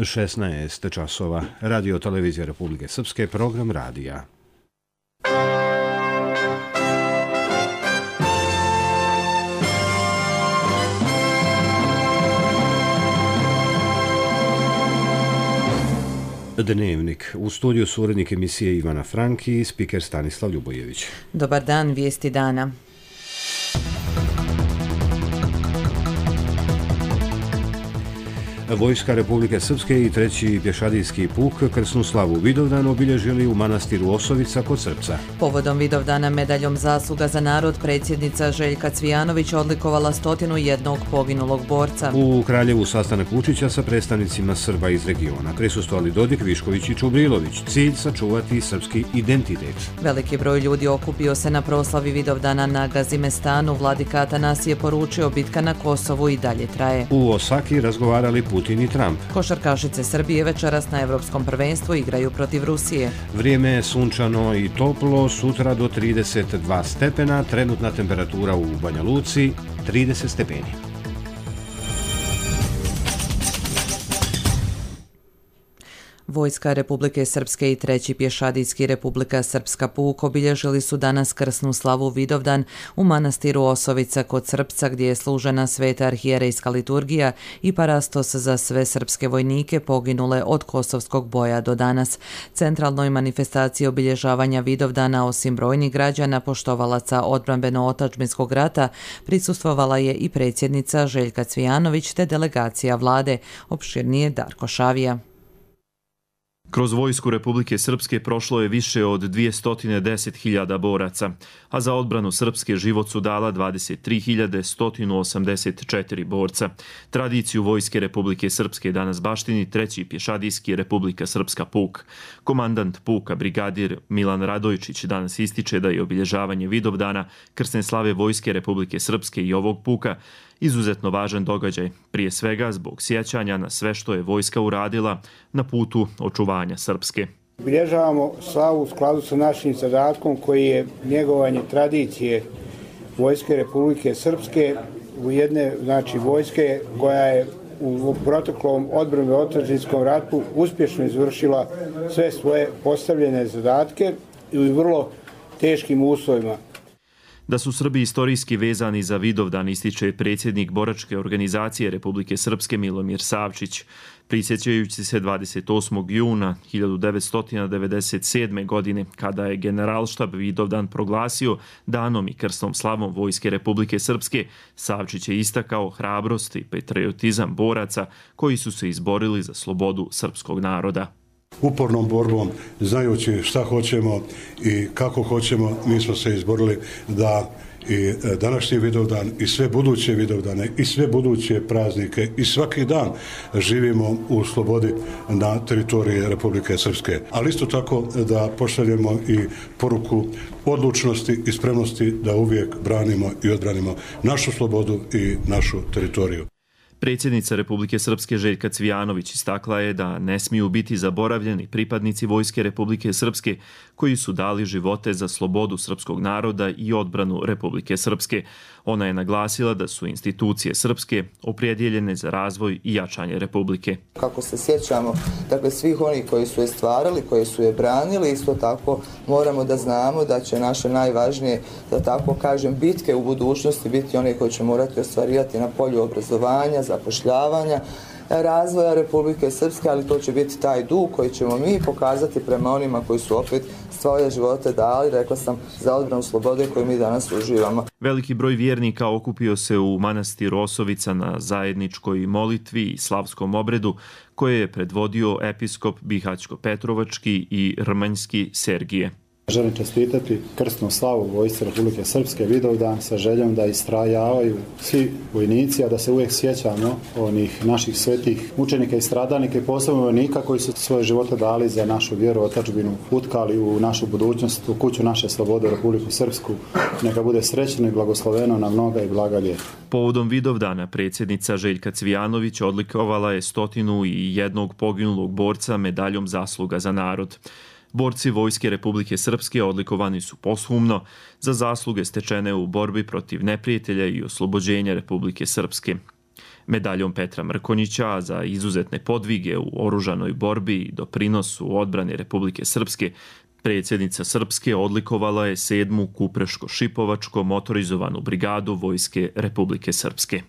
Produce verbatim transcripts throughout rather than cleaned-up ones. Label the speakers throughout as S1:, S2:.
S1: šesnaest časova. Radio televizija Republike Srpske, program radija. Dnevnik. U studiju su urednik emisije Ivana Franki i spiker Stanislav Ljubojević.
S2: Dobar dan, vijesti dana.
S1: Vojska Republike Srpske i treći pješadijski puk krsnu slavu Vidovdan obilježili u manastiru Osovica kod Srpca.
S2: Povodom Vidovdana medaljom zasluga za narod predsjednica Željka Cvijanović odlikovala stotinu jednog poginulog borca.
S1: U Kraljevu sastanak Vučića sa predstavnicima Srba iz regiona. Prisustvovali Dodik, Višković i Čubrilović. Cilj sačuvati srpski identitet.
S2: Veliki broj ljudi okupio se na proslavi Vidovdana na Gazimestanu. Vladika Atanasije je poručio bitka na Kosovu i dalje traje.
S1: U Osaki razgovarali Putin i Trump.
S2: Košarkašice Srbije večeras na Evropskom prvenstvu igraju protiv Rusije.
S1: Vrijeme je sunčano i toplo, sutra do trideset dva stepena, trenutna temperatura u Banja Luci trideset stepeni.
S2: Vojska Republike Srpske i treći pješadijski Republika Srpska puk obilježili su danas krsnu slavu Vidovdan u manastiru Osovica kod Srpca, gdje je služena sveta arhijerejska liturgija i parastos za sve srpske vojnike poginule od kosovskog boja do danas. Centralnoj manifestaciji obilježavanja Vidovdana, osim brojnih građana poštovalaca odbrambeno-otadžbinskog rata, prisustvovala je i predsjednica Željka Cvijanović te delegacija vlade. Opširnije Darko Šavija.
S3: Kroz vojsku Republike Srpske prošlo je više od dvjesto deset hiljada boraca, a za odbranu Srpske život su dala dvadeset tri hiljade sto osamdeset četiri borca. Tradiciju vojske Republike Srpske danas baštini treći pješadijski Republika Srpska puk. Komandant puka, brigadir Milan Radojčić, danas ističe da je obilježavanje Vidovdana krsne slave vojske Republike Srpske i ovog puka izuzetno važan događaj, prije svega zbog sjećanja na sve što je vojska uradila na putu očuvanja Srpske.
S4: Obilježavamo slavu u skladu sa našim zadatkom koji je njegovanje tradicije vojske Republike Srpske u jedne, znači vojske koja je u proteklom odbrambeno-otadžbinskom ratu uspješno izvršila sve svoje postavljene zadatke i u vrlo teškim uslovima.
S3: Da su Srbi istorijski vezani za Vidovdan ističe predsjednik boračke organizacije Republike Srpske Milomir Savčić. Prisjećajući se dvadeset osmog juna hiljadu devetsto devedeset sedme. godine, kada je Generalštab Vidovdan proglasio danom i krsnom slavom vojske Republike Srpske, Savčić je istakao hrabrost i patriotizam boraca koji su se izborili za slobodu srpskog naroda.
S5: Upornom borbom, znajući šta hoćemo i kako hoćemo, mi smo se izborili da i današnji Vidovdan i sve buduće Vidovdane i sve buduće praznike i svaki dan živimo u slobodi na teritoriji Republike Srpske. Ali isto tako da pošaljemo i poruku odlučnosti i spremnosti da uvijek branimo i odbranimo našu slobodu i našu teritoriju.
S3: Predsjednica Republike Srpske Željka Cvijanović istakla je da ne smiju biti zaboravljeni pripadnici vojske Republike Srpske koji su dali živote za slobodu srpskog naroda i odbranu Republike Srpske. Ona je naglasila da su institucije srpske opredjeljene za razvoj i jačanje Republike.
S6: Kako se sjećamo, dakle, svih onih koji su je stvarali, koji su je branili, isto tako moramo da znamo da će naše najvažnije, da tako kažem, bitke u budućnosti biti one koje će morati ostvarivati na polju obrazovanja, zapošljavanja, razvoja Republike Srpske, ali to će biti taj dug koji ćemo mi pokazati prema onima koji su opet svoje živote dali, rekla sam, za odbranu slobode koju mi danas uživamo.
S3: Veliki broj vjernika okupio se u manastiru Osovica na zajedničkoj molitvi i slavskom obredu koje je predvodio episkop Bihaćko-Petrovački i Rmanjski Sergije.
S7: Želim čestitati krsnu slavu vojsci Republike Srpske Vidovdan sa željom da istrajavaju svi vojnici, a da se uvijek sjećamo onih naših svetih mučenika i stradalnika i posebno vojnika koji su svoje živote dali za našu vjeru, otadžbinu, utkali u našu budućnost, u kuću naše slobode, Republiku Srpsku. Neka bude srećno i blagosloveno na mnoga i blaga ljeta.
S3: Povodom Vidovdana predsjednica Željka Cvijanović odlikovala je stotinu i jednog poginulog borca medaljom zasluga za narod. Borci vojske Republike Srpske odlikovani su posthumno za zasluge stečene u borbi protiv neprijatelja i oslobođenja Republike Srpske. Medaljom Petra Mrkonjića za izuzetne podvige u oružanoj borbi i doprinosu odbrane Republike Srpske predsjednica Srpske odlikovala je sedmu Kupreško-Šipovačko motorizovanu brigadu Vojske Republike Srpske.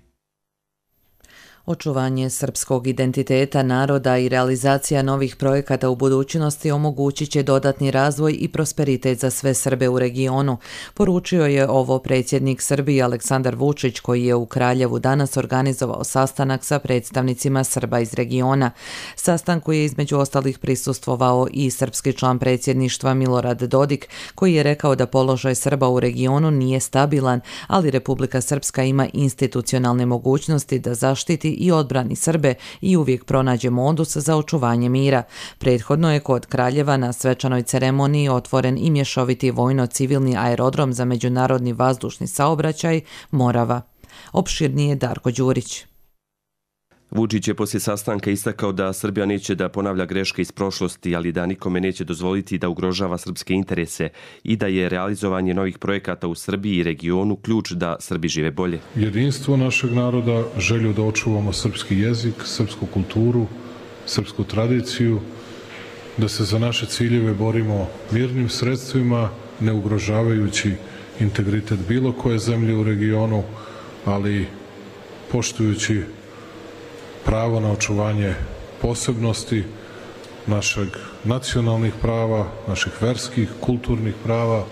S2: Očuvanje srpskog identiteta naroda i realizacija novih projekata u budućnosti omogućit će dodatni razvoj i prosperitet za sve Srbe u regionu, poručio je ovo predsjednik Srbije Aleksandar Vučić, koji je u Kraljevu danas organizovao sastanak sa predstavnicima Srba iz regiona. Sastanku je između ostalih prisustvovao i srpski član predsjedništva Milorad Dodik, koji je rekao da položaj Srba u regionu nije stabilan, ali Republika Srpska ima institucionalne mogućnosti da zaštiti i odbrani Srbe i uvijek pronađe modus za očuvanje mira. Prethodno je kod Kraljeva na svečanoj ceremoniji otvoren i mješoviti vojno-civilni aerodrom za međunarodni vazdušni saobraćaj Morava. Opširnije Darko Đurić.
S8: Vučić je poslije sastanka istakao da Srbija neće da ponavlja greške iz prošlosti, ali da nikome neće dozvoliti da ugrožava srpske interese i da je realizovanje novih projekata u Srbiji i regionu ključ da Srbi žive bolje.
S9: Jedinstvo našeg naroda, želju da očuvamo srpski jezik, srpsku kulturu, srpsku tradiciju, da se za naše ciljeve borimo mirnim sredstvima, ne ugrožavajući integritet bilo koje zemlje u regionu, ali poštujući pravo na očuvanje posebnosti našeg nacionalnih prava, naših verskih, kulturnih prava.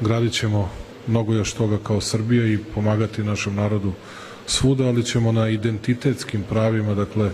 S9: Gradit ćemo mnogo još toga kao Srbija i pomagati našem narodu svuda, ali ćemo na identitetskim pravima, dakle,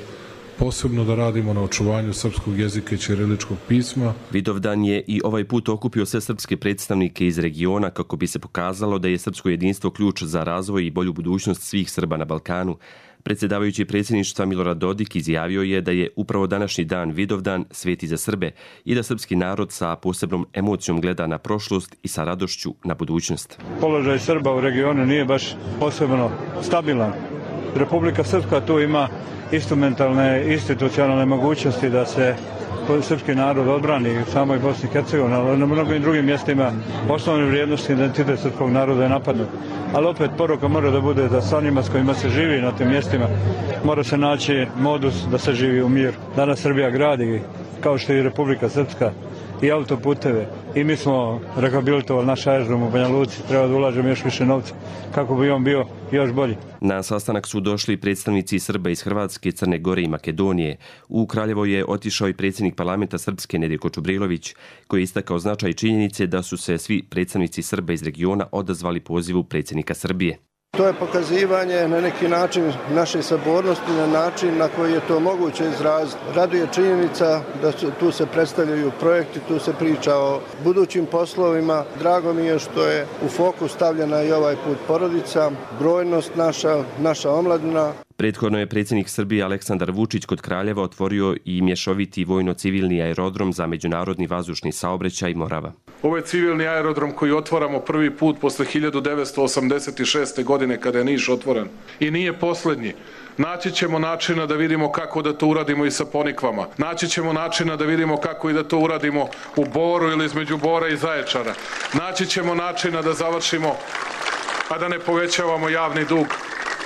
S9: posebno da radimo na očuvanju srpskog jezika i ćiriličkog pisma.
S8: Vidovdan je i ovaj put okupio sve srpske predstavnike iz regiona kako bi se pokazalo da je srpsko jedinstvo ključ za razvoj i bolju budućnost svih Srba na Balkanu. Predsjedavajući predsjedništva Milorad Dodik izjavio je da je upravo današnji dan Vidovdan sveti za Srbe i da srpski narod sa posebnom emocijom gleda na prošlost i sa radošću na budućnost.
S10: Položaj Srba u regionu nije baš posebno stabilan. Republika Srpska tu ima instrumentalne, institucionalne mogućnosti da se srpski narod odbrani u samoj Bosni i Hercegovini, ali na mnogim drugim mjestima osnovne vrijednosti identitet srpskog naroda je napadnut. Ali opet poruka mora da bude da sa onima s kojima se živi na tim mjestima mora se naći modus da se živi u mir. Danas Srbija gradi, kao što i Republika Srpska, i autoputeve, i mi smo rehabilitovali naš aerodrom u Banja Luci, treba da ulažemo još više novca kako bi on bio još bolji.
S8: Na sastanak su došli predstavnici Srba iz Hrvatske, Crne Gore i Makedonije. U Kraljevo je otišao i predsjednik parlamenta Srpske Nedjeljko Čubrilović, koji je istakao značaj činjenice da su se svi predstavnici Srba iz regiona odazvali pozivu predsjednika Srbije.
S11: To je pokazivanje na neki način naše sabornosti, na način na koji je to moguće izraziti. Raduje činjenica da su, tu se predstavljaju projekti, tu se priča o budućim poslovima. Drago mi je što je u fokus stavljena i ovaj put porodica, brojnost naša, naša omladina.
S8: Prethodno je predsjednik Srbije Aleksandar Vučić kod Kraljeva otvorio i mješoviti vojno-civilni aerodrom za međunarodni vazdušni saobraćaj Morava.
S12: Ovo je civilni aerodrom koji otvaramo prvi put posle hiljadu devetsto osamdeset šeste. godine kada je Niš otvoren. I nije posljednji. Naći ćemo načina da vidimo kako da to uradimo i sa Ponikvama. Naći ćemo načina da vidimo kako i da to uradimo u Boru ili između Bora i Zaječara. Naći ćemo načina da završimo, a da ne povećavamo javni dug,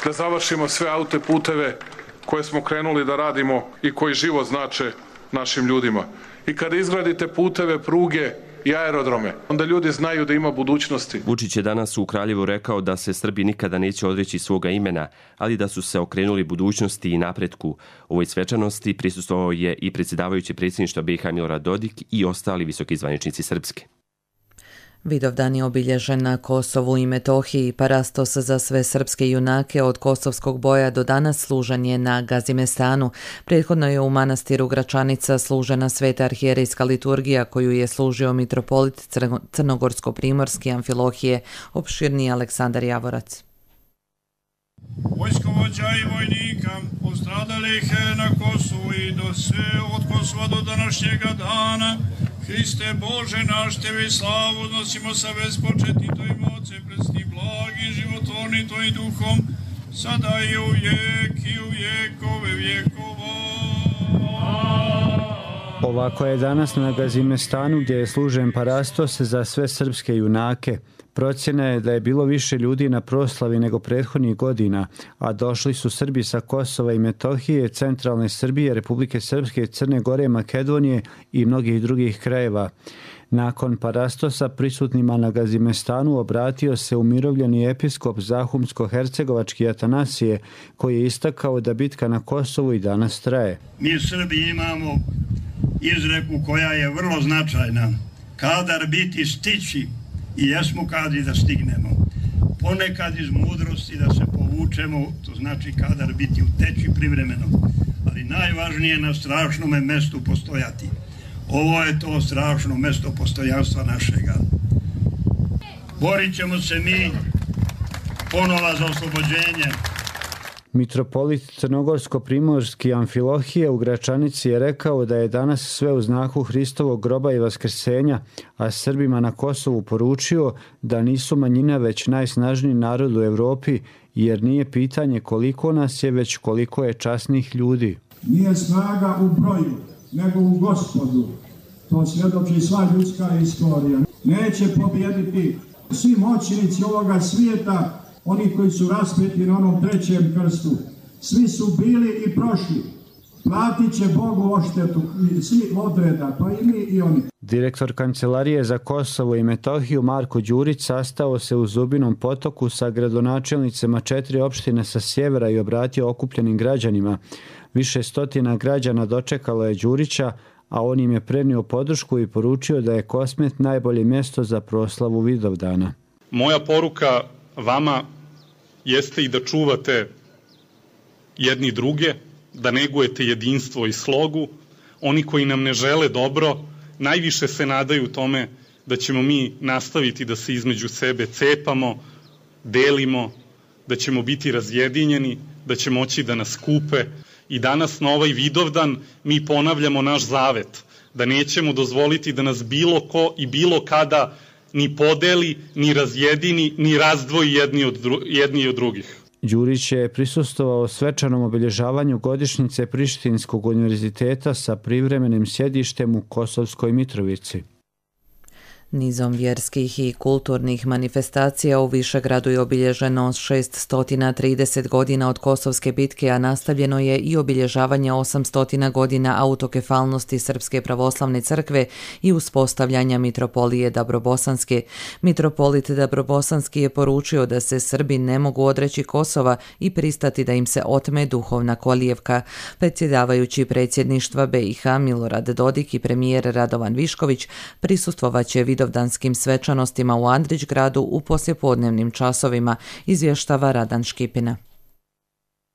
S12: da završimo sve autoputeve koje smo krenuli da radimo i koji život znače našim ljudima. I kada izgradite puteve, pruge i aerodrome, onda ljudi znaju da ima budućnosti.
S8: Vučić je danas u Kraljevu rekao da se Srbi nikada neće odreći svoga imena, ali da su se okrenuli budućnosti i napretku. Ovoj svečanosti prisustvovao je i predsjedavajući predsjedništva B iH Milorad Dodik i ostali visoki zvaničnici Srpske.
S2: Vidovdan je obilježen na Kosovu i Metohiji. Parastos za sve srpske junake od kosovskog boja do danas služen je na Gazimestanu. Prethodno je u manastiru Gračanica služena sveta arhijerejska liturgija koju je služio mitropolit Crnogorsko-primorski Amfilohije. Opširniji Aleksandar Javorac.
S13: Vojskovođa i vojnika postradalih na Kosovu i do sve od Kosova do današnjega dana, Hriste Bože naš, Tebe slavu nosimo sa bezpočetnim Tvojim Otcem, prestim blagim, životvornim Tvojim duhom, sada i u vijek i u vijekove vjekova.
S14: Ovako je danas na Gazimestanu gdje je služen parastos za sve srpske junake. Procjena je da je bilo više ljudi na proslavi nego prethodnih godina, a došli su Srbi sa Kosova i Metohije, centralne Srbije, Republike Srpske, Crne Gore, Makedonije i mnogih drugih krajeva. Nakon parastosa prisutnima na Gazimestanu obratio se umirovljeni episkop Zahumsko-hercegovački Atanasije, koji je istakao da bitka na Kosovu i danas traje.
S15: Mi Srbi imamo izreku koja je vrlo značajna. Kadar biti stići i jesmo kadri da stignemo. Ponekad iz mudrosti da se povučemo, to znači kadar biti u teči privremeno. Ali najvažnije je na strašnome mestu postojati. Ovo je to strašno mesto postojanstva našega. Borit ćemo se mi ponova za oslobođenje.
S14: Mitropolit Crnogorsko-primorski Amfilohije u Gračanici je rekao da je danas sve u znaku Hristovog groba i vaskrsenja, a Srbima na Kosovu poručio da nisu manjina već najsnažniji narod u Evropi, jer nije pitanje koliko nas je, već koliko je časnih ljudi.
S16: Nije snaga u broju, nego u Gospodu. To svjedoči sva ljudska istorija. Neće pobijediti svi moćnici ovoga svijeta, oni koji su raspeti na onom trećem krstu. Svi su bili i prošli. Platit će Bogu oštetu, svi odreda, pa i mi i oni.
S14: Direktor Kancelarije za Kosovo i Metohiju Marko Đurić sastao se u Zubinom Potoku sa gradonačelnicama četiri opštine sa sjevera i obratio okupljenim građanima. Više stotina građana dočekalo je Đurića, a on im je prenio podršku i poručio da je Kosmet najbolje mjesto za proslavu Vidovdana.
S17: Moja poruka vama jeste i da čuvate jedni druge, da negujete jedinstvo i slogu. Oni koji nam ne žele dobro, najviše se nadaju tome da ćemo mi nastaviti da se između sebe cepamo, delimo, da ćemo biti razjedinjeni, da će moći da nas kupe. I danas na ovaj Vidovdan mi ponavljamo naš zavet, da nećemo dozvoliti da nas bilo ko i bilo kada ni podeli, ni razjedini, ni razdvoji jedni od, dru, jedni od drugih.
S14: Đurić je prisustvovao svečanom obilježavanju godišnjice Prištinskog univerziteta sa privremenim sjedištem u Kosovskoj Mitrovici.
S2: Nizom vjerskih i kulturnih manifestacija u Višegradu je obilježeno šeststo trideset godina od Kosovske bitke, a nastavljeno je i obilježavanje osamsto godina autokefalnosti Srpske pravoslavne crkve i uspostavljanja Mitropolije Dabrobosanske. Mitropolit Dabrobosanski je poručio da se Srbi ne mogu odreći Kosova i pristati da im se otme duhovna kolijevka. Predsjedavajući predsjedništva B i H Milorad Dodik i premijer Radovan Višković prisustvovaće vidovdanskim svečanostima u Andrićgradu u poslijepodnevnim časovima, izvještava Radan Škipina.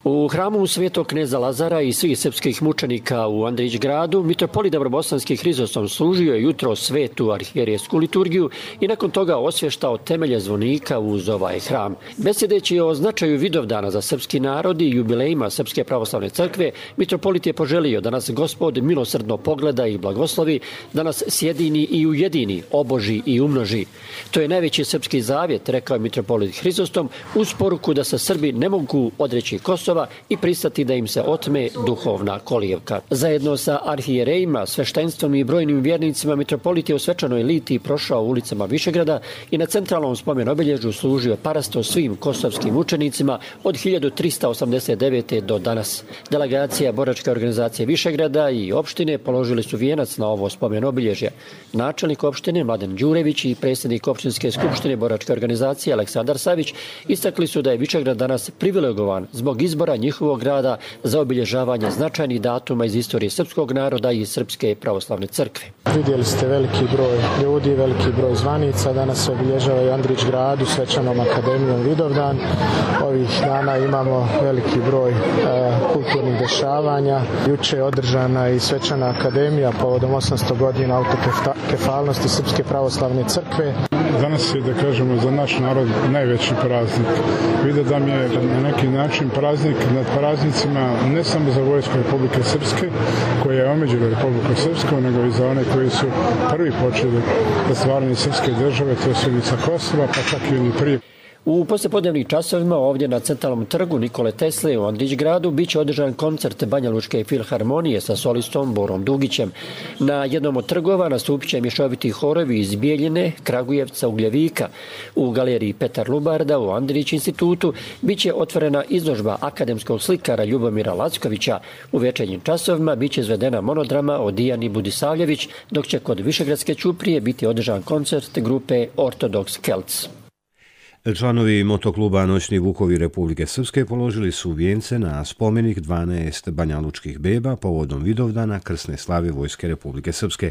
S18: U hramu Svetog kneza Lazara i svih srpskih mučenika u Andrićgradu mitropolit Dabrobosanski Hrizostom služio je jutro svetu arhijerejsku liturgiju i nakon toga osvještao temelje zvonika uz ovaj hram. Besjedeći o značaju Vidovdana za srpski narod i jubilejima Srpske pravoslavne crkve, mitropolit je poželio da nas Gospod milosrdno pogleda i blagoslovi, da nas sjedini i ujedini, oboži i umnoži. To je najveći srpski zavjet, rekao je mitropolit Hrizostom, uz poruku da se Srbi ne mogu odreći Kosova i pristati da im se otme duhovna kolijevka. Zajedno sa arhijerejima, sveštenstvom i brojnim vjernicima mitropolit je u svečanoj litiji prošao ulicama Višegrada i na centralnom spomen obilježju služio parasto svim kosovskim učenicima od hiljadu trista osamdeset devete. do danas. Delegacija boračke organizacije Višegrada i opštine položili su vijenac na ovo spomen obilježje. Načelnik opštine Mladen Đurević i predsjednik opštinske skupštine boračke organizacije Aleksandar Savić istakli su da je Višegrad danas privilegovan zbog izbora njihovog grada za obilježavanje značajnih datuma iz istorije srpskog naroda i Srpske pravoslavne crkve.
S19: Vidjeli ste veliki broj ljudi, veliki broj zvanica. Danas se obilježava i u Andrićgradu svečanom akademijom Vidovdan. Ovih dana imamo veliki broj e, kulturnih dešavanja. Juče je održana i svečana akademija povodom osamsto godina autokefalnosti Srpske pravoslavne crkve.
S20: Danas je, da kažemo, za naš narod najveći praznik. Vidovdan je na neki način praznik nad praznicima ne samo za vojsku Republike Srpske, koja je omeđila Republiku Srpsku, nego i za one koji su prvi počeli da stvaranje srpske države, to su Ivica Kosova, pa čak i oni prije.
S18: U poslijepodnevnim časovima ovdje na centralnom trgu Nikole Tesle u Andrić gradu biće održan koncert Banjalučke filharmonije sa solistom Borom Dugićem. Na jednom od trgova nastupit će mješoviti horovi iz Bijeljine, Kragujevca, Ugljevika. U galeriji Petar Lubarda u Andrić institutu biće otvorena izložba akademskog slikara Ljubomira Lackovića. U večernjim časovima biće izvedena monodrama o Dijani Budisavljević, dok će kod Višegradske ćuprije biti održan koncert grupe Ortodox Celts.
S1: Članovi motokluba Noćni vukovi Republike Srpske položili su vijence na spomenik dvanaest banjalučkih beba povodom Vidovdana krsne slave Vojske Republike Srpske.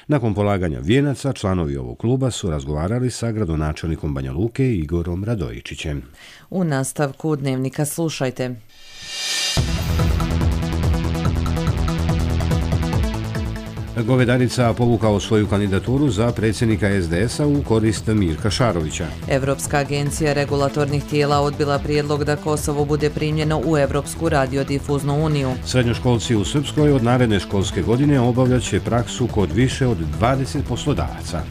S1: Nakon polaganja vijenaca, članovi ovog kluba su razgovarali sa gradonačelnikom Banja Luke Igorom Radojičićem.
S2: U nastavku dnevnika slušajte.
S1: Govedarica povukao svoju kandidaturu za predsjednika es de es a u korist Mirka Šarovića.
S2: Evropska agencija regulatornih tijela odbila prijedlog da Kosovo bude primljeno u Evropsku radiodifuznu uniju.
S1: Srednjoškolci u Srpskoj od naredne školske godine obavljat će praksu kod više od dvadeset poslodavaca.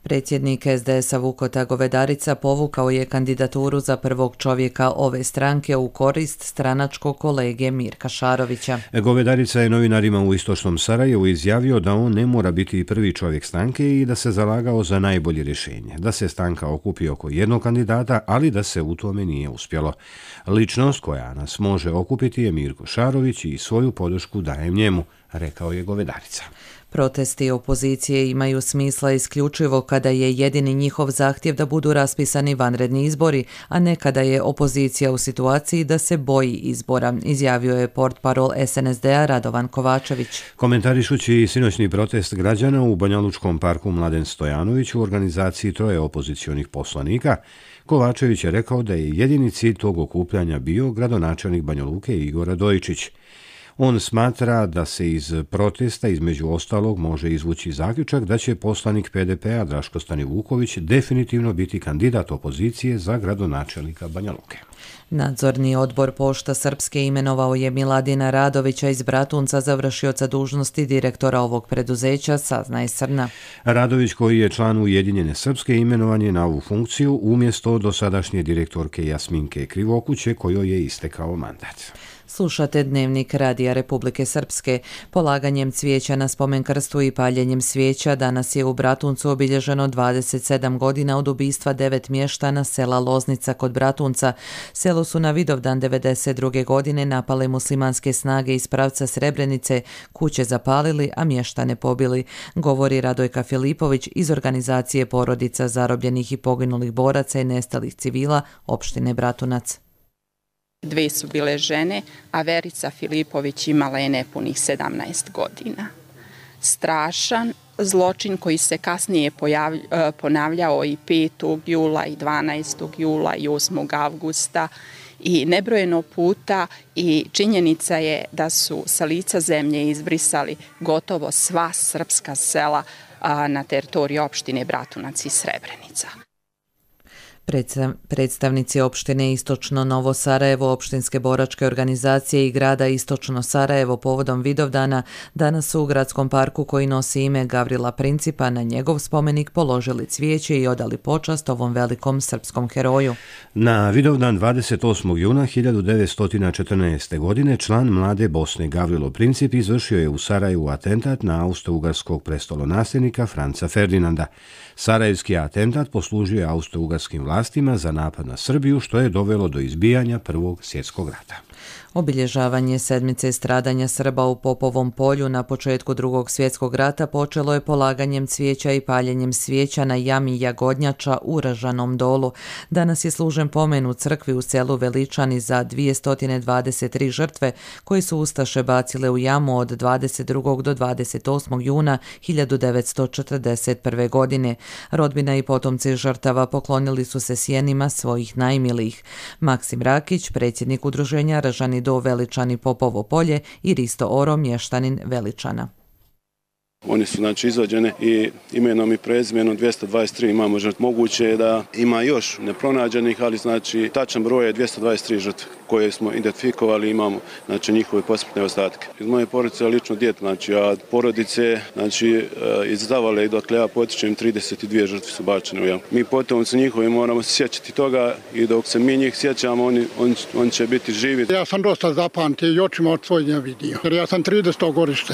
S2: Predsjednik es de es a Vukota Govedarica povukao je kandidaturu za prvog čovjeka ove stranke u korist stranačkog kolege Mirka Šarovića.
S1: Govedarica je novinarima u Istočnom Sarajevu izjavio da on ne mora biti prvi čovjek stranke i da se zalagao za najbolje rješenje, da se stranka okupi oko jednog kandidata, ali da se u tome nije uspjelo. Ličnost koja nas može okupiti je Mirko Šarović i svoju podršku dajem njemu, rekao je Govedarica.
S2: Protesti opozicije imaju smisla isključivo kada je jedini njihov zahtjev da budu raspisani vanredni izbori, a ne kada je opozicija u situaciji da se boji izbora, izjavio je portparol es en es de a Radovan Kovačević.
S1: Komentarišući sinoćni protest građana u Banjalučkom parku Mladen Stojanović u organizaciji troje opozicionih poslanika, Kovačević je rekao da je jedini cilj tog okupljanja bio gradonačelnik Banja Luke Igor Radojičić. On smatra da se iz protesta između ostalog može izvući zaključak da će poslanik pe de pe a Draško Stanivuković definitivno biti kandidat opozicije za gradonačelnika Banja Luke.
S2: Nadzorni odbor Pošta Srpske imenovao je Miladina Radovića iz Bratunca za vršioca dužnosti direktora ovog preduzeća, saznaje Srna.
S1: Radović, koji je član Ujedinjene Srpske, imenovan je na ovu funkciju umjesto dosadašnje direktorke Jasminke Krivokuće, kojoj je istekao mandat.
S2: Slušate dnevnik Radija Republike Srpske. Polaganjem cvijeća na spomen krstu i paljenjem svijeća danas je u Bratuncu obilježeno dvadeset sedam godina od ubistva devet mještana sela Loznica kod Bratunca. Selo su na Vidovdan devedeset druge godine napale muslimanske snage iz pravca Srebrenice, kuće zapalili, a mještane pobili, govori Radojka Filipović iz organizacije porodica zarobljenih i poginulih boraca i nestalih civila opštine Bratunac.
S21: Dve su bile žene, a Verica Filipović imala je nepunih sedamnaest godina. Strašan zločin koji se kasnije pojavlj, ponavljao i petog jula i dvanaestog jula i osmog avgusta i nebrojeno puta, i činjenica je da su sa lica zemlje izbrisali gotovo sva srpska sela na teritoriji opštine Bratunac i Srebrenica.
S2: Predstavnici opštine Istočno Novo Sarajevo, opštinske boračke organizacije i grada Istočno Sarajevo povodom Vidovdana danas su u gradskom parku koji nosi ime Gavrila Principa na njegov spomenik položili cvijeće i odali počast ovom velikom srpskom heroju.
S1: Na Vidovdan dvadeset osmog juna hiljadu devetsto četrnaeste. godine član Mlade Bosne Gavrilo Princip izvršio je u Sarajevu atentat na austro-ugarskog prestolonasljednika Franca Ferdinanda. Sarajevski atentat poslužio je austro-ugarskim vlastima za napad na Srbiju, što je dovelo do izbijanja Prvog svjetskog rata.
S2: Obilježavanje sedmice stradanja Srba u Popovom polju na početku Drugog svjetskog rata počelo je polaganjem cvijeća i paljenjem svijeća na jami Jagodnjača u Ražanom dolu. Danas je služen pomen u crkvi u selu Veličani za dvjesto dvadeset tri žrtve koje su ustaše bacile u jamu od dvadeset drugog do dvadeset osmog juna hiljadu devetsto četrdeset prve. godine. Rodbina i potomci žrtava poklonili su se sjenima svojih najmilijih. Maksim Rakić, predsjednik udruženja Ražani do Veličani Popovo polje, i Risto Oro, mještanin Veličana.
S4: Oni su znači izvađene i imenom i prezimenom dvjesto dvadeset tri imamo žrtve. Moguće je da ima još nepronađenih, ali znači tačan broj je dvjesto dvadeset tri žrtve koje smo identifikovali, imamo znači njihove posmrtne ostatke. Iz moje porodice lično dijete, znači a porodice znači iz Zavale dokle ja potičem trideset dvije žrtve su bačene u jamu. Mi potomci njihovi moramo se sjećati toga i dok se mi njih sjećamo oni, on, on će biti živi.
S22: Ja sam dosta zapamtio i očima od svojih ne vidio, jer ja sam trideseto godište.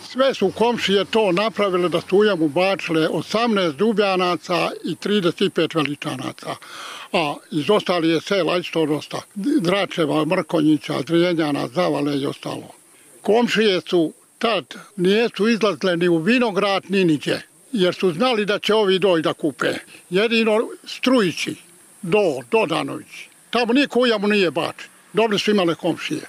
S22: Sve su komšije to napravile da su u jamu bačile osamnaest Dubjanaca i trideset pet Veličanaca. A iz ostali je sela isto dosta. Dračeva, Mrkonjića, Drijenjana, Zavale i ostalo. Komšije su tad nijesu izlazile ni u vinograd ni niđe, jer su znali da će ovi doći da kupe. Jedino Strujići, do, Dodanović. Tamo niko u jamu nije bačen. Dobri su imale komšije.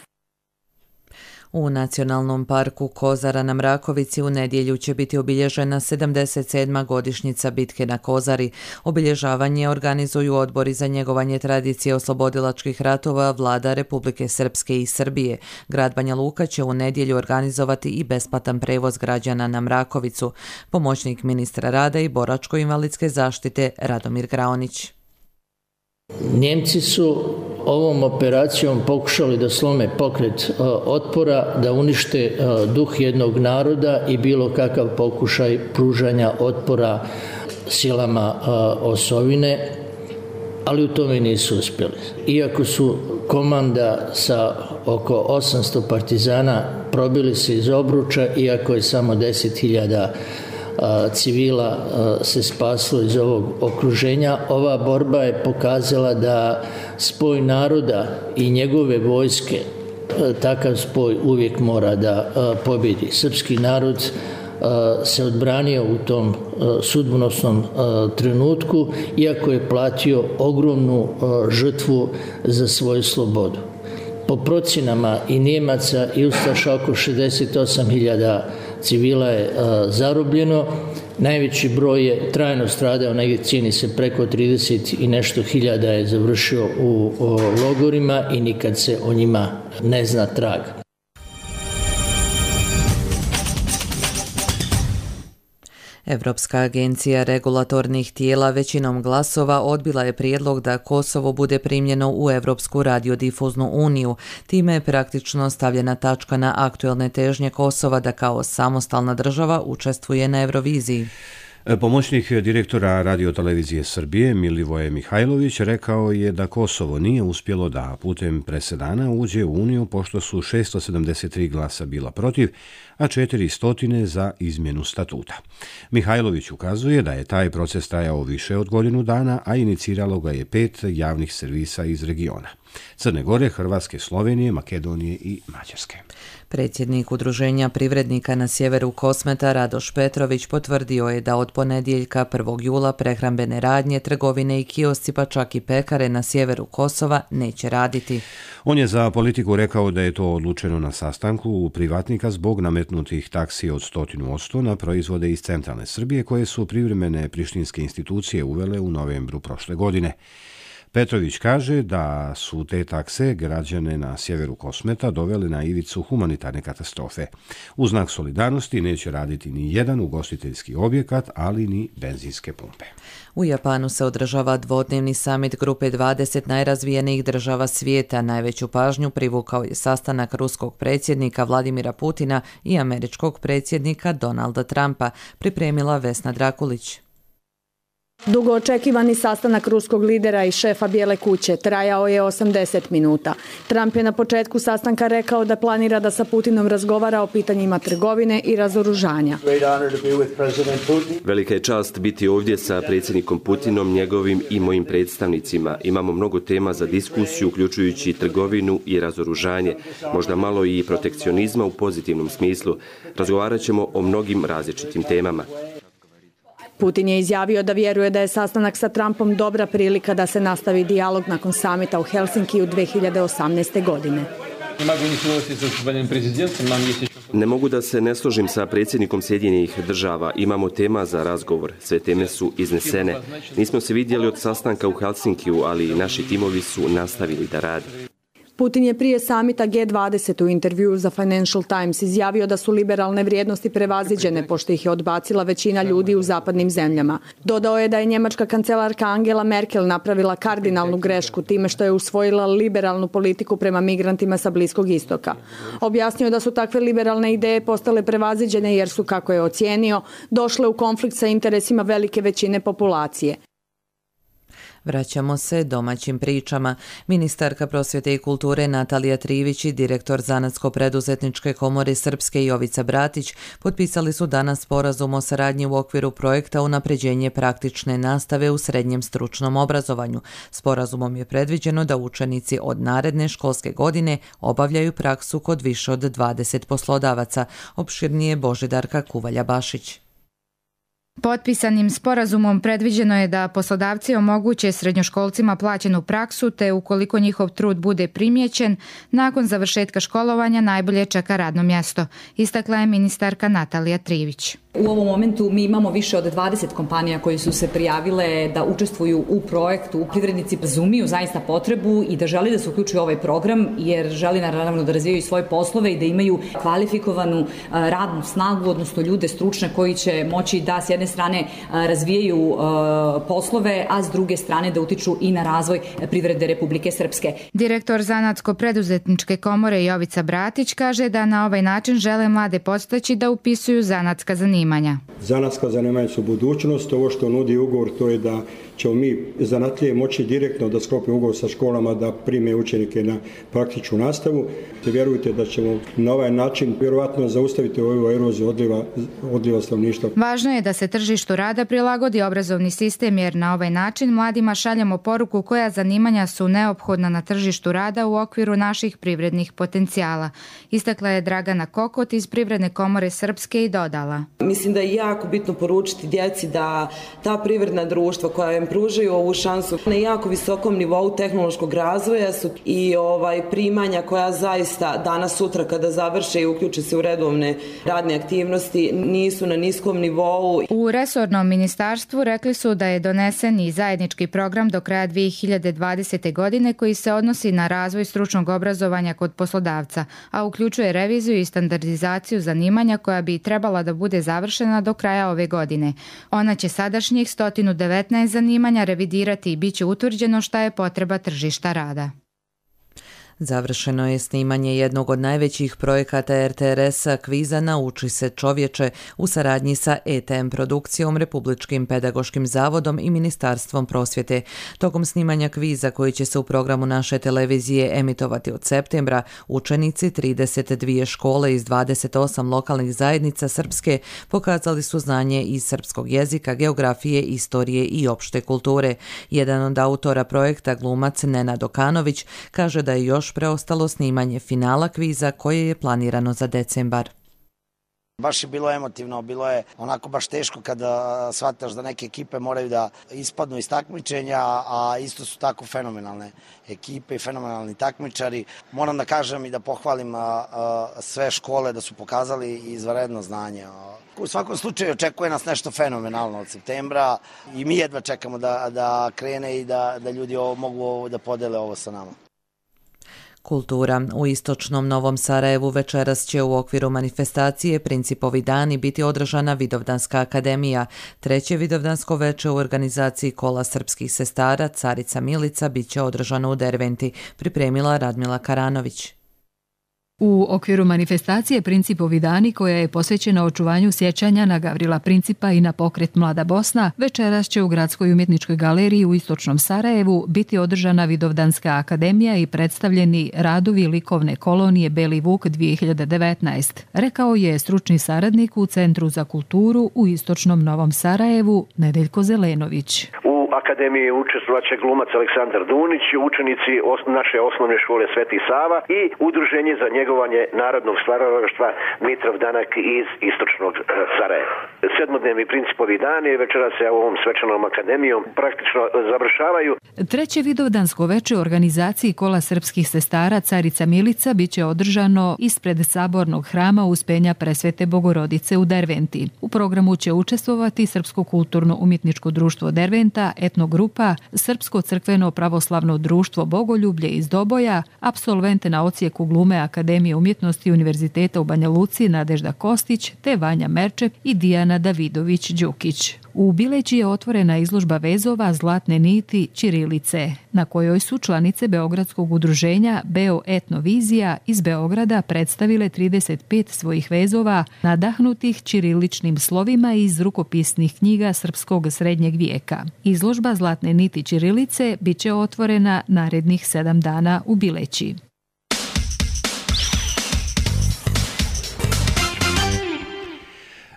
S2: U Nacionalnom parku Kozara na Mrakovici u nedjelju će biti obilježena sedamdeset sedma godišnjica bitke na Kozari. Obilježavanje organizuju odbori za njegovanje tradicije oslobodilačkih ratova vlada Republike Srpske i Srbije. Grad Banja Luka će u nedjelju organizovati i besplatan prevoz građana na Mrakovicu. Pomoćnik ministra rada i boračko-invalidske zaštite Radomir Graonić.
S23: Njemci su ovom operacijom pokušali da slome pokret otpora, da unište duh jednog naroda i bilo kakav pokušaj pružanja otpora silama osovine, ali u tome nisu uspjeli. Iako su komanda sa oko osamsto partizana probili se iz obruča, iako je samo deset hiljada civila se spaslo iz ovog okruženja, ova borba je pokazala da spoj naroda i njegove vojske, takav spoj uvijek mora da pobjedi. Srpski narod se odbranio u tom sudbonosnom trenutku, iako je platio ogromnu žrtvu za svoju slobodu. Po procjenama i Njemaca i Ustaša oko šezdeset osam hiljada civila je zarobljeno, najveći broj je trajno stradao, negdje cijeni se preko trideset i nešto hiljada je završio u logorima i nikad se o njima ne zna trag.
S2: Evropska agencija regulatornih tijela većinom glasova odbila je prijedlog da Kosovo bude primljeno u Evropsku radiodifuznu uniju. Time je praktično stavljena tačka na aktuelne težnje Kosova da kao samostalna država učestvuje na Euroviziji.
S1: Pomoćnik direktora Radiotelevizije Srbije Milivoje Mihajlović rekao je da Kosovo nije uspjelo da putem presedana uđe u Uniju pošto su šesto sedamdeset tri glasa bila protiv, a četiristo za izmjenu statuta. Mihajlović ukazuje da je taj proces trajao više od godinu dana, a iniciralo ga je pet javnih servisa iz regiona: Crne Gore, Hrvatske, Slovenije, Makedonije i Mađarske.
S2: Predsjednik Udruženja privrednika na sjeveru Kosmeta Radoš Petrović potvrdio je da od ponedjeljka prvog jula prehrambene radnje, trgovine i kiosci pa čak i pekare na sjeveru Kosova neće raditi.
S1: On je za Politiku rekao da je to odlučeno na sastanku privatnika zbog nametnutih taksi od sto posto na proizvode iz centralne Srbije koje su privremene prištinske institucije uvele u novembru prošle godine. Petrović kaže da su te takse građane na sjeveru Kosmeta dovele na ivicu humanitarne katastrofe. U znak solidarnosti neće raditi ni jedan ugostiteljski objekat, ali ni benzinske pumpe.
S2: U Japanu se održava dvodnevni samit grupe dvadeset najrazvijenijih država svijeta. Najveću pažnju privukao je sastanak ruskog predsjednika Vladimira Putina i američkog predsjednika Donalda Trumpa, pripremila Vesna Drakulić.
S24: Dugo očekivani sastanak ruskog lidera i šefa Bijele kuće trajao je osamdeset minuta. Trump je na početku sastanka rekao da planira da sa Putinom razgovara o pitanjima trgovine i razoružanja.
S8: Velika je čast biti ovdje sa predsjednikom Putinom, njegovim i mojim predstavnicima. Imamo mnogo tema za diskusiju, uključujući trgovinu i razoružanje, možda malo i protekcionizma u pozitivnom smislu. Razgovarat ćemo o mnogim različitim temama.
S24: Putin je izjavio da vjeruje da je sastanak sa Trumpom dobra prilika da se nastavi dijalog nakon samita u Helsinkiju dvije hiljade osamnaeste. godine.
S8: Ne mogu da se ne složim sa predsjednikom Sjedinjenih država. Imamo tema za razgovor. Sve teme su iznesene. Nismo se vidjeli od sastanka u Helsinkiju, ali naši timovi su nastavili da rade.
S24: Putin je prije samita G dvadeset u intervjuu za Financial Times izjavio da su liberalne vrijednosti prevaziđene pošto ih je odbacila većina ljudi u zapadnim zemljama. Dodao je da je njemačka kancelarka Angela Merkel napravila kardinalnu grešku time što je usvojila liberalnu politiku prema migrantima sa Bliskog istoka. Objasnio da su takve liberalne ideje postale prevaziđene jer su, kako je ocijenio, došle u konflikt sa interesima velike većine populacije.
S2: Vraćamo se domaćim pričama. Ministarka prosvjete i kulture Natalija Trivić i direktor Zanatsko-preduzetničke komore Srpske Jovica Bratić potpisali su danas sporazum o saradnji u okviru projekta Unapređenje praktične nastave u srednjem stručnom obrazovanju. Sporazumom je predviđeno da učenici od naredne školske godine obavljaju praksu kod više od dvadeset poslodavaca. Opširnije Božidarka Kuvalja-Bašić.
S3: Potpisanim sporazumom predviđeno je da poslodavci omoguće srednjoškolcima plaćenu praksu, te ukoliko njihov trud bude primijećen, nakon završetka školovanja najbolje čeka radno mjesto, istakla je ministarka Natalija Trivić.
S5: U ovom momentu mi imamo više od dvadeset kompanija koji su se prijavile da učestvuju u projektu. Privrednici razumiju zaista potrebu i da želi da se uključuju u ovaj program jer želi naravno da razvijaju svoje poslove i da imaju kvalifikovanu radnu snagu, odnosno ljude stručne koji će moći da s jedne strane razvijaju poslove, a s druge strane da utiču i na razvoj privrede Republike Srpske.
S3: Direktor Zanatsko-preduzetničke komore Jovica Bratić kaže da na ovaj način žele mlade podstaći da upisuju zanatska zanimanja.
S6: Zanatska zanimanja su budućnost. Ovo što nudi ugovor to je da ćemo mi zanatlije moći direktno da sklopimo ugovor sa školama da prime učenike na praktičnu nastavu. Te vjerujte da ćemo na ovaj način vjerovatno zaustaviti ovu eroziju odliva, odliva stanovništva.
S3: Važno je da se tržištu rada prilagodi obrazovni sistem jer na ovaj način mladima šaljemo poruku koja zanimanja su neophodna na tržištu rada u okviru naših privrednih potencijala. Istakla je Dragana Kokot iz Privredne komore Srpske i dodala.
S7: Mislim da je jako bitno poručiti djeci da ta privredna društva koja im pružaju ovu šansu na jako visokom nivou tehnološkog razvoja su i ovaj primanja koja zaista danas sutra kada završe i uključe se u redovne radne aktivnosti nisu na niskom nivou.
S3: U resornom ministarstvu rekli su da je donesen i zajednički program do kraja dvije hiljade dvadesete. godine koji se odnosi na razvoj stručnog obrazovanja kod poslodavca, a uključuje reviziju i standardizaciju zanimanja koja bi trebala da bude završena do kraja ove godine. Ona će sadašnjih sto devetnaest zanimanja revidirati i bit će utvrđeno šta je potreba tržišta rada.
S2: Završeno je snimanje jednog od najvećih projekata er te er es-a kviza Nauči se čovječe u saradnji sa E T M produkcijom, Republičkim pedagoškim zavodom i Ministarstvom prosvjete. Tokom snimanja kviza koji će se u programu naše televizije emitovati od septembra, učenici trideset dvije škole iz dvadeset osam lokalnih zajednica Srpske pokazali su znanje iz srpskog jezika, geografije, istorije i opšte kulture. Jedan od autora projekta, glumac Nenad Okanović, kaže da je još preostalo snimanje finala kviza koje je planirano za decembar.
S25: Baš je bilo emotivno, bilo je onako baš teško kada shvataš da neke ekipe moraju da ispadnu iz takmičenja, a isto su tako fenomenalne ekipe i fenomenalni takmičari. Moram da kažem i da pohvalim a, a, sve škole da su pokazali izvanredno znanje. U svakom slučaju očekuje nas nešto fenomenalno od septembra i mi jedva čekamo da, da krene i da, da ljudi ovo, mogu da podele ovo sa nama.
S2: Kultura. U istočnom Novom Sarajevu večeras će u okviru manifestacije Principovi dani biti održana Vidovdanska akademija. Treće Vidovdansko veče u organizaciji Kola srpskih sestara Carica Milica bit će održano u Derventi, pripremila Radmila Karanović.
S26: U okviru manifestacije Principovi dani, koja je posvećena očuvanju sjećanja na Gavrila Principa i na pokret Mlada Bosna, večeras će u Gradskoj umjetničkoj galeriji u istočnom Sarajevu biti održana Vidovdanska akademija i predstavljeni radovi likovne kolonije Beli Vuk dvije hiljade devetnaest, rekao je stručni saradnik u Centru za kulturu u istočnom Novom Sarajevu Nedeljko Zelenović.
S27: U akademiji učestvovaće glumac Aleksandar Dunić, učenici naše osnovne škole Sveti Sava i Udruženje za njegovanje narodnog stvaralaštva Mitrov Danak iz istočnog Sarajeva. Sedmodnevni Principovi dani večeras se ovom svečanom akademijom praktično završavaju.
S26: Treće Vidovdansko veče u organizaciji Kola srpskih sestara Carica Milica biće održano ispred Sabornog hrama Uspenja Presvete Bogorodice u Derventi. U programu će učestvovati Srpsko kulturno-umjetničko društvo Derventa, etnogrupa, Srpsko crkveno pravoslavno društvo Bogoljublje iz Doboja, apsolvente na odsjeku glume Akademije umjetnosti Univerziteta u Banja Luci Nadežda Kostić te Vanja Merčep i Dijana Davidović-Đukić. U Bileći je otvorena izložba vezova Zlatne niti ćirilice, na kojoj su članice Beogradskog udruženja Beo Etnovizija iz Beograda predstavile trideset pet svojih vezova nadahnutih ćiriličnim slovima iz rukopisnih knjiga srpskog srednjeg vijeka. Izložba Zlatne niti ćirilice bit će otvorena narednih sedam dana u Bileći.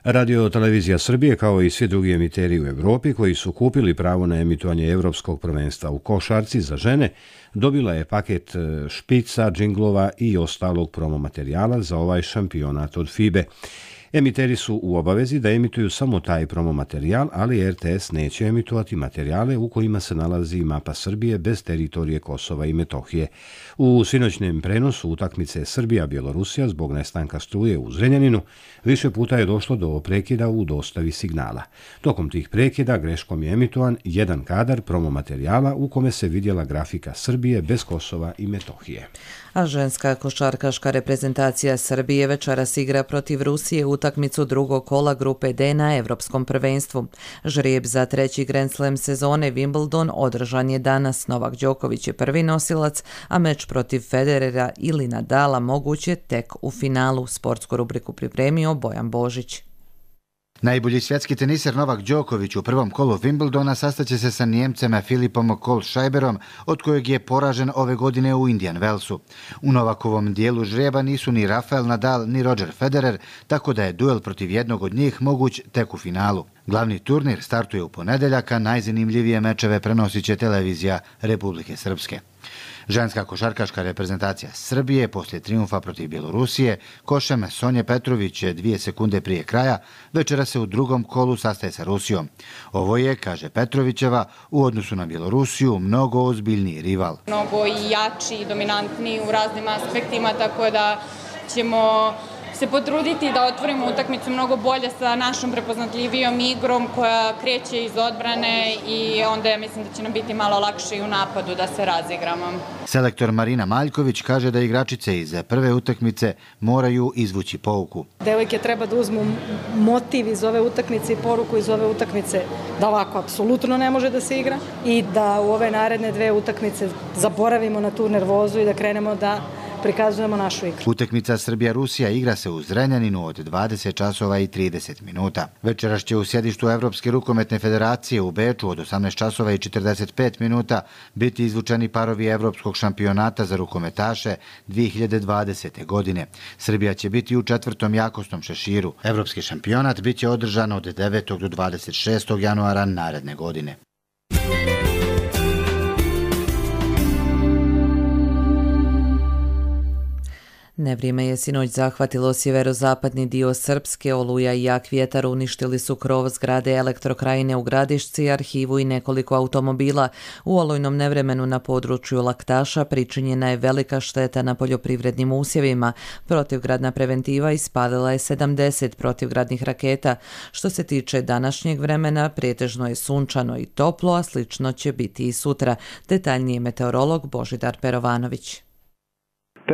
S1: Radio Televizija Srbije, kao i svi drugi emiteri u Europi koji su kupili pravo na emitovanje Evropskog prvenstva u košarci za žene, dobila je paket špica, džinglova i ostalog promo materijala za ovaj šampionat od FIBE. Emiteri su u obavezi da emituju samo taj promo materijal, ali R T S neće emitovati materijale u kojima se nalazi mapa Srbije bez teritorije Kosova i Metohije. U sinoćnem prenosu utakmice Srbija-Bjelorusija zbog nestanka struje u Zrenjaninu više puta je došlo do prekida u dostavi signala. Tokom tih prekida greškom je emitovan jedan kadar promo materijala u kome se vidjela grafika Srbije bez Kosova i Metohije.
S2: A ženska košarkaška reprezentacija Srbije večeras igra protiv Rusije utakmicu drugog kola grupe D na Evropskom prvenstvu. Žrijeb za treći Grand Slam sezone Wimbledon održan je danas. Novak Đoković je prvi nosilac, a meč protiv Federera ili Nadala moguće tek u finalu. Sportsku rubriku pripremio Bojan Božić.
S9: Najbolji svjetski teniser Novak Đoković u prvom kolu Wimbledona sastaće se sa Nijemcem Filipom Kohlschreiberom, od kojeg je poražen ove godine u Indian Wellsu. U Novakovom dijelu žrijeba nisu ni Rafael Nadal ni Roger Federer, tako da je duel protiv jednog od njih moguć tek u finalu. Glavni turnir startuje u ponedeljak, a najzanimljivije mečeve prenosit će televizija Republike Srpske. Ženska košarkaška reprezentacija Srbije poslije trijumfa protiv Bjelorusije košem Sonje Petrović dvije sekunde prije kraja večera se u drugom kolu sastaje sa Rusijom. Ovo je, kaže Petrovićeva, u odnosu na Bjelorusiju mnogo ozbiljniji rival.
S10: Mnogo i jači i dominantniji u raznim aspektima, tako da ćemo se potruditi da otvorimo utakmicu mnogo bolje sa našom prepoznatljivijom igrom koja kreće iz odbrane i onda ja mislim da će nam biti malo lakše i u napadu da se razigramo.
S9: Selektor Marina Maljković kaže da igračice iz prve utakmice moraju izvući pouku.
S11: Devojke treba da uzmu motiv iz ove utakmice i poruku iz ove utakmice da ovako apsolutno ne može da se igra i da u ove naredne dve utakmice zaboravimo na tu nervozu i da krenemo da prikazujemo našu igru.
S9: Utakmica Srbija-Rusija igra se u Zrenjaninu od dvadeset časova i trideset minuta. Večeras će u sjedištu Evropske rukometne federacije u Beču od osamnaest časova i četrdeset pet minuta biti izvučeni parovi Evropskog šampionata za rukometaše dvije hiljade dvadesete. godine. Srbija će biti u četvrtom jakosnom šeširu. Evropski šampionat bit će održan od devetog do dvadeset šestog januara naredne godine.
S2: Nevrijeme je sinoć zahvatilo sjeverozapadni dio Srpske, oluja i jak vjetar uništili su krov zgrade Elektrokrajine u Gradišci, arhivu i nekoliko automobila. U olujnom nevremenu na području Laktaša pričinjena je velika šteta na poljoprivrednim usjevima. Protivgradna preventiva ispalila je sedamdeset protivgradnih raketa. Što se tiče današnjeg vremena, pretežno je sunčano i toplo, a slično će biti i sutra. Detaljnije meteorolog Božidar Perovanović.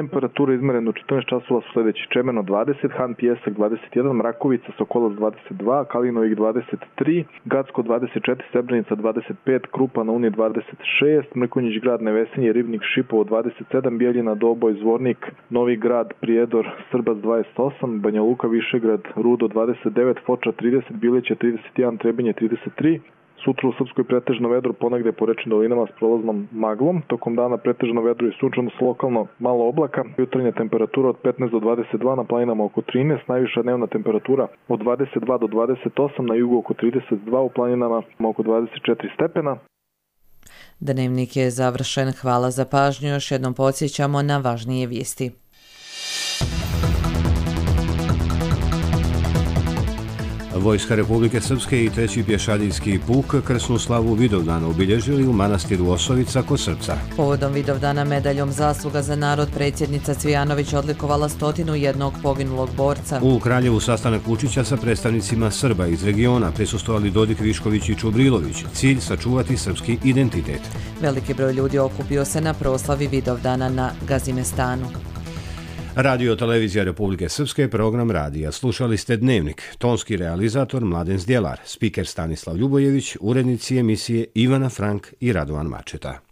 S12: Temperatura izmerena u četrnaest časova su sljedeći: Čemeno dvadeset, Han Pijesak dvadeset jedan, Mrakovica, Sokolac dvadeset dva, Kalinovik dvadeset tri, Gacko dvadeset četiri, Srebrenica dvadeset pet, Krupa na Uni dvadeset šest, Mrkonjić grad, Nevesinje, Ribnik, Šipovo dvadeset sedam, Bijeljina, Doboj, Zvornik, Novi grad, Prijedor, Srbac dvadeset osam, Banja Luka, Višegrad, Rudo dvadeset devet, Foča trideset, Bileće trideset jedan, Trebinje trideset tri. Sutra u Srpskoj pretežno vedro, ponegde po rečnim dolinama s prolaznom maglom. Tokom dana pretežno vedro i sunčano s lokalno malo oblaka. Jutarnja temperatura od petnaest do dvadeset dva, na planinama oko trinaest, najviša dnevna temperatura od dvadeset dva do dvadeset osam, na jugu oko trideset dva, u planinama oko dvadeset četiri stepena.
S2: Dnevnik je završen. Hvala za pažnju. Još jednom podsjećamo na važnije vijesti.
S1: Vojska Republike Srpske i treći pješadijski puk krsnu slavu Vidovdana obilježili u manastiru Osovica kod Srpca.
S2: Povodom Vidovdana medaljom zasluga za narod predsjednica Cvijanović odlikovala stotinu jednog poginulog borca.
S1: U Kraljevu sastanak Vučića sa predstavnicima Srba iz regiona prisustvovali Dodik, Višković i Čubrilović. Cilj sačuvati srpski identitet.
S2: Veliki broj ljudi okupio se na proslavi Vidovdana na Gazimestanu.
S1: Radio Televizija Republike Srpske, program radija. Slušali ste Dnevnik. Tonski realizator Mladen Zdjelar, spiker Stanislav Ljubojević, urednici emisije Ivana Frank i Radovan Mačeta.